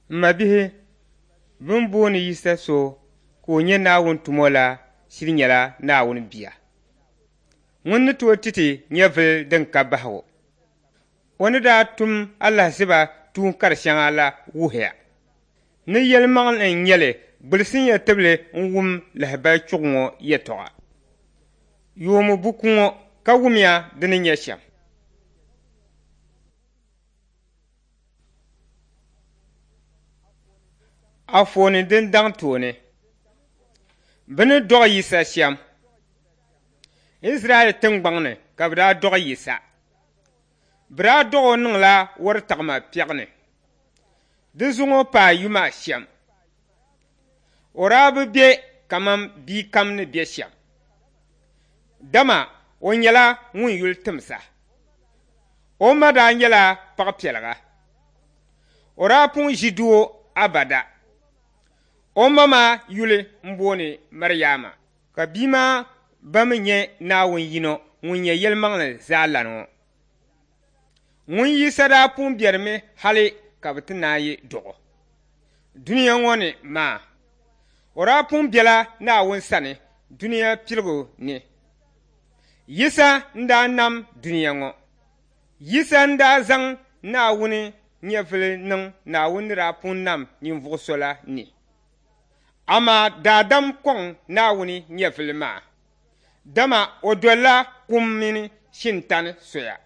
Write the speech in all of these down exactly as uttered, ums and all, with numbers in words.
M mabihi, bɛ ni booni Yisa so ka o nyɛ Naawuni tumo la shiri nyɛla Naawuni Bia. Ŋun ni tooi ti ti nyɛvili din ka bahigu. O ni daa tum alahiziba tuun kar shɛŋa la wuhiya ni yɛlimaŋli n-nyɛ li gbilisinya tibili n-wum lahibali chuɣu ŋɔ yɛtɔɣa. Yoomi buku ŋɔ ka wumya di ni nyɛ shɛm. Anfooni din daŋ tooni. Bɛ ni dɔɣi Yisa shɛm. Izraɛl tiŋgbɔŋ ni ka bɛ daa dɔɣi Yisa. Bɛ daa dɔɣ o niŋla wɔritaɣima piɛɣu ni. Di zuŋɔ paai yuma shɛm. O daa bi be kaman bia kam ni be shɛm, dama o nyɛla ŋun yuli timsa. O ma daa nyɛla paɣipiɛliga. O daa pun ʒi doo abada. O ma maa yuli m-booni Mariama, ka bia maa ba mi nyɛ Naawuni yino ŋun nyɛ yɛlimaŋli zaalana ŋɔ. Ŋun Yisa daa pun berimi hali ka bɛ ti naai dɔɣ o dunia ŋɔ ni maa. O daa pun bela Naawuni sani dunia piligu ni. Yisa n-daa nam dunia ŋɔ. Yisa n-daa zaŋ Naawuni nyɛvili niŋ Naawuni ni daa pun nam ninvuɣ so la ni. Amaa daadam kɔŋ Naawuni nyɛvili maa, dama o dolila kum mini shintani soya,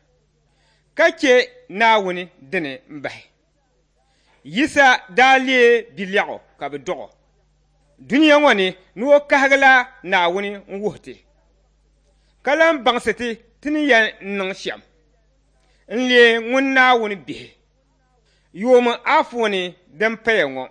ka che Naawuni dini m-bahi. Yisa daa leei bilɛɣu ka bɛ dɔɣ o dunia ŋɔ ni ni o kahigila Naawuni n-wuhi ti, ka lan baŋsi ti ti ni yɛn niŋ shɛm n-leei ŋun Naawuni bihi. Yoomi anfooni din paya ŋɔ.